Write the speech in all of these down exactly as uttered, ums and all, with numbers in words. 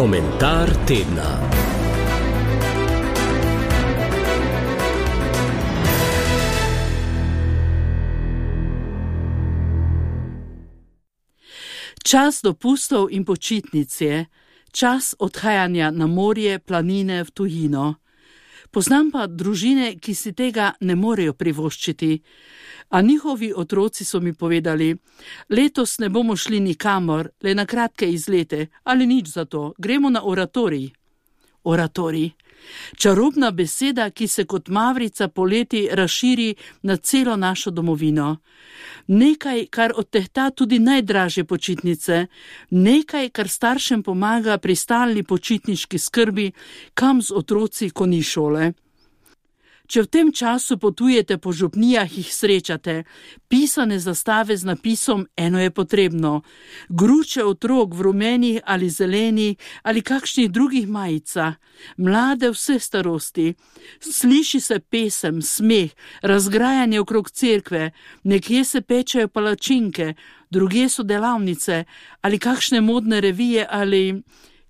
Komentar tedna. Čas dopustov in počitnic je, čas odhajanja na morje, planine, v tujino. Poznam pa družine, ki si tega ne morejo privoščiti, a njihovi otroci so mi povedali, letos ne bomo šli nikamor, le na kratke izlete, ali nič za to, gremo na oratorij. Oratorij. Čarobna beseda, ki se kot mavrica poleti razširi na celo našo domovino. Nekaj, kar odtehta tudi najdražje počitnice, nekaj, kar staršem pomaga pri stalni počitniški skrbi, kam z otroci, ko ni šole. Če v tem času potujete po župnijah, jih srečate, pisane zastave z napisom Eno je potrebno, gruče otrok v rumenih ali zelenih ali kakšnih drugih majicah, mlade vse starosti, sliši se pesem, smeh, razgrajanje okrog cerkve, nekje se pečejo palačinke, drugje so delavnice ali kakšne modne revije ali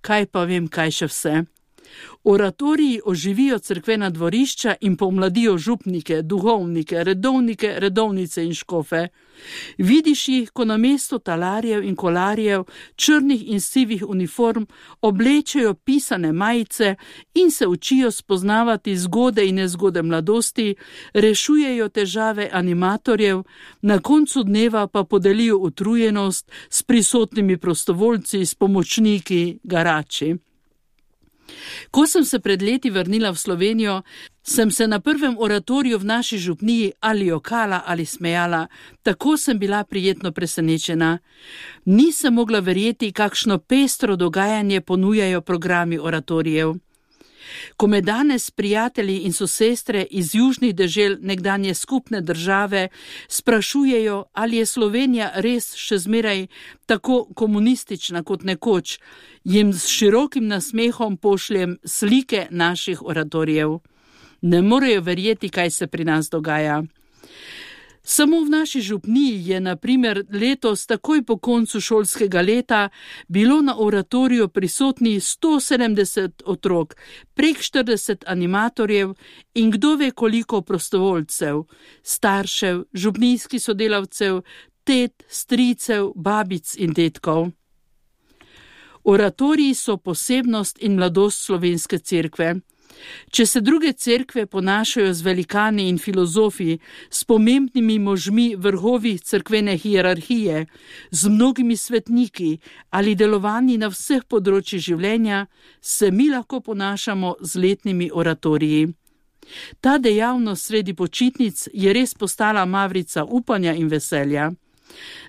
kaj pa vem kaj še vse. Oratoriji oživijo cerkvena dvorišča in pomladijo župnike, duhovnike, redovnike, redovnice in škofe. Vidiš jih, ko namesto talarjev in kolarjev, črnih in sivih uniform oblečejo pisane majice in se učijo spoznavati zgode in nezgode mladosti, rešujejo težave animatorjev, na koncu dneva pa podelijo utrujenost s prisotnimi prostovoljci, s pomočniki, garači. Ko sem se pred leti vrnila v Slovenijo, sem se na prvem oratoriju v naši župniji ali jokala ali smejala, tako sem bila prijetno presenečena. Nisem mogla verjeti, kakšno pestro dogajanje ponujajo programi oratorijev. Ko me danes prijatelji in sosestre iz južnih dežel nekdanje skupne države sprašujejo, ali je Slovenija res še zmeraj tako komunistična kot nekoč, jim s širokim nasmehom pošljem slike naših oratorijev. Ne morejo verjeti, kaj se pri nas dogaja. Samo v naši župniji je na primer letos takoj po koncu šolskega leta bilo na oratoriju prisotnih sto sedemdeset otrok, prek štirideset animatorjev in kdo ve koliko prostovoljcev, staršev, župnijskih sodelavcev, tet, stricev, babic in detkov. Oratoriji so posebnost in mladost slovenske cerkve. Če se druge cerkve ponašajo z velikani in filozofi, s pomembnimi možmi vrhovi cerkvene hierarhije, z mnogimi svetniki ali delovanji na vseh področjih življenja, se mi lahko ponašamo z letnimi oratoriji. Ta dejavnost sredi počitnic je res postala mavrica upanja in veselja.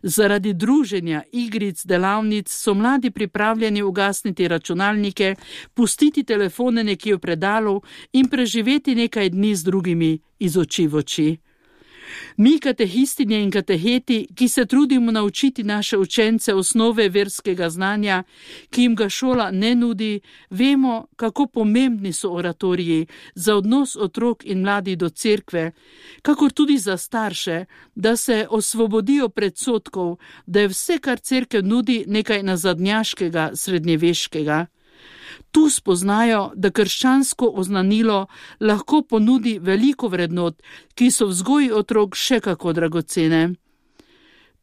Zaradi druženja, igric, delavnic so mladi pripravljeni ugasniti računalnike, pustiti telefone nekje v predalu in preživeti nekaj dni z drugimi iz oči v oči. Mi, katehistinje in kateheti, ki se trudimo naučiti naše učence osnove verskega znanja, ki jim ga šola ne nudi, vemo, kako pomembni so oratoriji za odnos otrok in mladih do cerkve, kakor tudi za starše, da se osvobodijo predsodkov, da je vse, kar cerkev nudi, nekaj nazadnjaškega, srednjeveškega. Tu spoznajo, da krščansko oznanilo lahko ponudi veliko vrednot, ki so v vzgoji otrok še kako dragocene.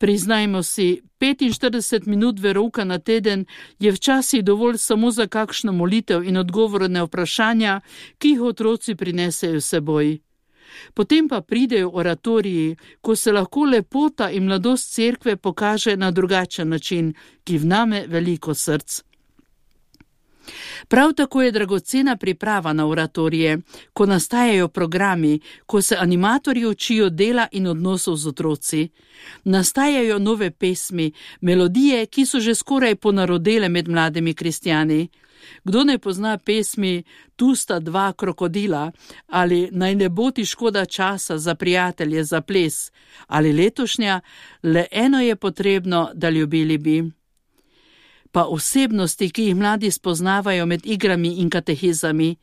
Priznajmo si, petinštirideset minut verouka na teden je včasih dovolj samo za kakšno molitev in odgovorne vprašanja, ki jih otroci prinesejo s seboj. Potem pa pridejo oratoriji, ko se lahko lepota in mladost cerkve pokaže na drugačen način, ki vname veliko src. Prav tako je dragocena priprava na oratorije, ko nastajajo programi, ko se animatorji učijo dela in odnosov z otroci. Nastajajo nove pesmi, melodije, ki so že skoraj ponarodele med mladimi kristjani. Kdo ne pozna pesmi Tu sta dva krokodila ali Naj ne bo ti škoda časa za prijatelje, za ples ali letošnja Le eno je potrebno, da ljubili bi. Pa osebnosti, ki jih mladi spoznavajo med igrami in katehizami.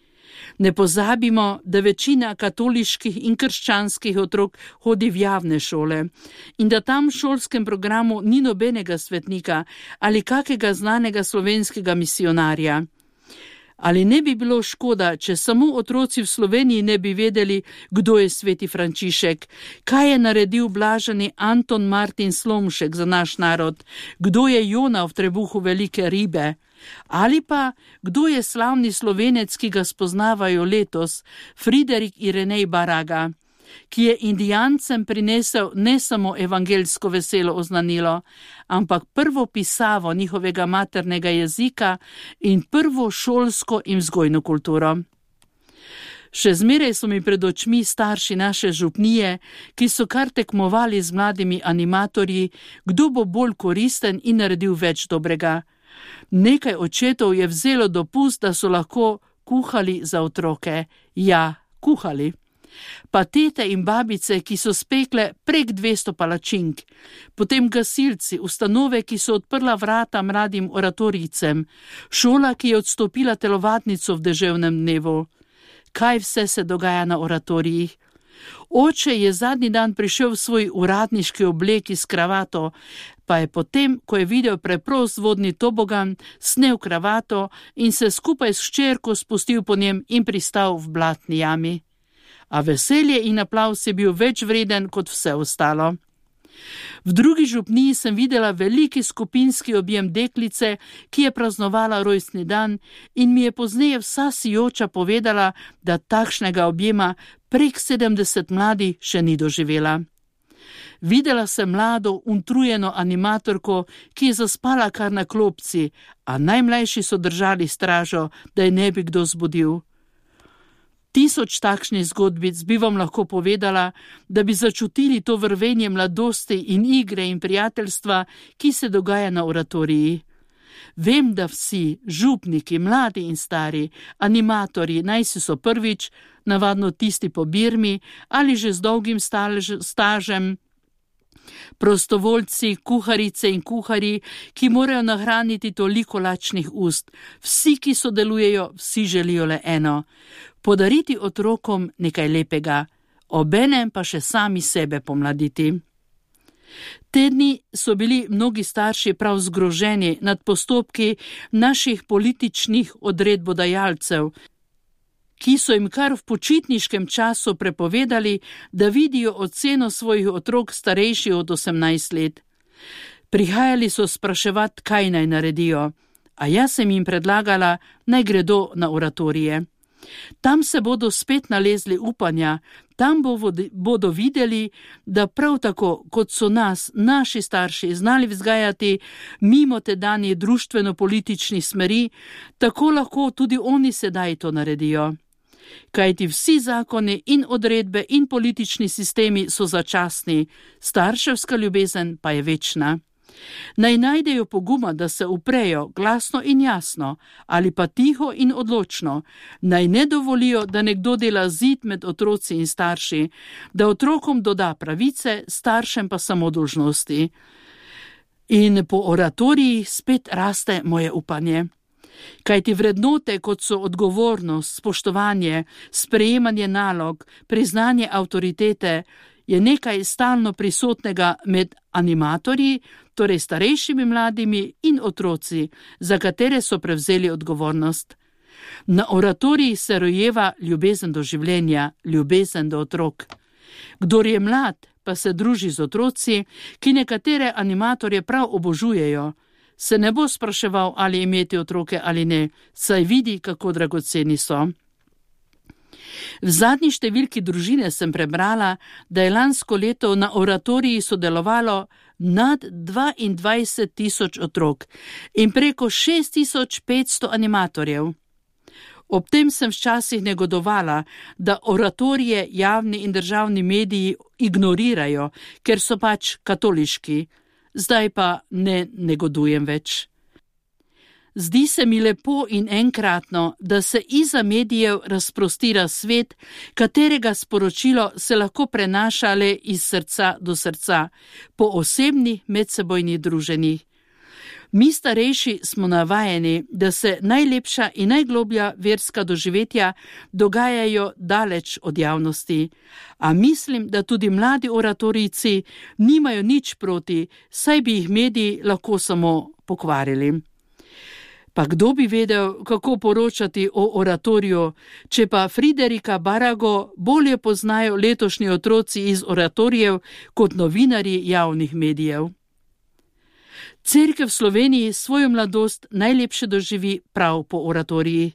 Ne pozabimo, da večina katoliških in krščanskih otrok hodi v javne šole in da tam v šolskem programu ni nobenega svetnika ali kakega znanega slovenskega misionarja. Ali ne bi bilo škoda, če samo otroci v Sloveniji ne bi vedeli, kdo je sveti Frančišek, kaj je naredil blaženi Anton Martin Slomšek za naš narod, kdo je Jona v trebuhu velike ribe, ali pa kdo je slavni Slovenec, ki ga spoznavajo letos, Friderik Irenej Baraga, ki je Indijancem prinesel ne samo evangeljsko veselo oznanilo, ampak prvo pisavo njihovega maternega jezika in prvo šolsko in vzgojno kulturo. Še zmeraj so mi pred očmi starši naše župnije, ki so kar tekmovali z mladimi animatorji, kdo bo bolj koristen in naredil več dobrega. Nekaj očetov je vzelo dopust, da so lahko kuhali za otroke. Ja, kuhali. Pa tete in babice, ki so spekle prek dvesto palačink, potem gasilci, ustanove, ki so odprla vrata mladim oratorijcem, šola, ki je odstopila telovadnico v deževnem dnevu. Kaj vse se dogaja na oratorijih? Oče je zadnji dan prišel v svoj uradniški obleki s kravato, pa je potem, ko je videl preprost vodni tobogan, snel kravato in se skupaj s hčerko spustil po njem in pristal v blatni jami. A veselje in aplavz je bil več vreden kot vse ostalo. V drugi župniji sem videla veliki skupinski objem deklice, ki je praznovala rojstni dan in mi je pozneje vsa sijoča povedala, da takšnega objema prek sedemdeset mladi še ni doživela. Videla sem mlado, utrujeno animatorko, ki je zaspala kar na klopci, a najmlajši so držali stražo, da je ne bi kdo zbudil. Tisoč takšnih zgodbic bi vam lahko povedala, da bi začutili to vrvenje mladosti in igre in prijateljstva, ki se dogaja na oratoriji. Vem, da vsi, župniki, mladi in stari, animatorji, najsi so prvič, navadno tisti po Birmi ali že z dolgim stažem, prostovoljci, kuharice in kuhari, ki morajo nahraniti toliko lačnih ust. Vsi, ki sodelujejo, vsi želijo le eno: podariti otrokom nekaj lepega, obenem pa še sami sebe pomladiti. Te dni so bili mnogi starši prav zgroženi nad postopki naših političnih odredbodajalcev, ki so jim kar v počitniškem času prepovedali, da vidijo oceno svojih otrok starejših od osemnajst let. Prihajali so spraševati, kaj naj naredijo, a jaz sem jim predlagala, naj gredo na oratorije. Tam se bodo spet nalezli upanja, tam bodo videli, da prav tako, kot so nas, naši starši, znali vzgajati mimo tedanjih društveno-političnih smeri, tako lahko tudi oni sedaj to naredijo. Kajti vsi zakoni in odredbe in politični sistemi so začasni, starševska ljubezen pa je večna. Naj najdejo poguma, da se uprejo glasno in jasno, ali pa tiho in odločno, naj ne dovolijo, da nekdo dela zid med otroci in starši, da otrokom doda pravice, staršem pa samo dolžnosti. In po oratoriji spet raste moje upanje. Kajti vrednote, kot so odgovornost, spoštovanje, sprejemanje nalog, priznanje avtoritete, je nekaj stalno prisotnega med animatorji, torej starejšimi mladimi in otroci, za katere so prevzeli odgovornost. Na oratoriji se rojeva ljubezen do življenja, ljubezen do otrok. Kdor je mlad, pa se druži z otroci, ki nekatere animatorje prav obožujejo, se ne bo spraševal, ali imeti otroke ali ne, saj vidi, kako dragoceni so. V zadnji številki družine sem prebrala, da je lansko leto na oratoriji sodelovalo nad dvaindvajset tisoč otrok in preko šest tisoč petsto animatorjev. Ob tem sem včasih negodovala, da oratorije javni in državni mediji ignorirajo, ker so pač katoliški. Zdaj pa ne negodujem več. Zdi se mi lepo in enkratno, da se iza medijev razprostira svet, katerega sporočilo se lahko prenaša le iz srca do srca, po osebnih medsebojnih druženjih. Mi starejši smo navajeni, da se najlepša in najgloblja verska doživetja dogajajo daleč od javnosti, a mislim, da tudi mladi oratorijci nimajo nič proti, saj bi jih mediji lahko samo pokvarili. Pa kdo bi vedel, kako poročati o oratoriju, če pa Friderika Barago bolje poznajo letošnji otroci iz oratorijev kot novinarji javnih medijev. Cerkev v Sloveniji svojo mladost najlepše doživi prav po oratoriji.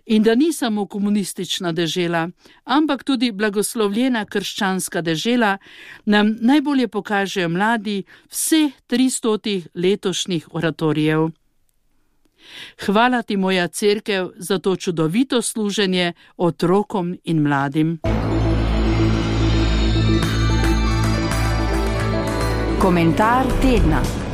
In da ni samo komunistična dežela, ampak tudi blagoslovljena krščanska dežela, nam najbolje pokažejo mladi vseh tristotih letošnjih oratorijev. Hvala ti, moja cerkev, za to čudovito služenje otrokom in mladim. Komentar tedna.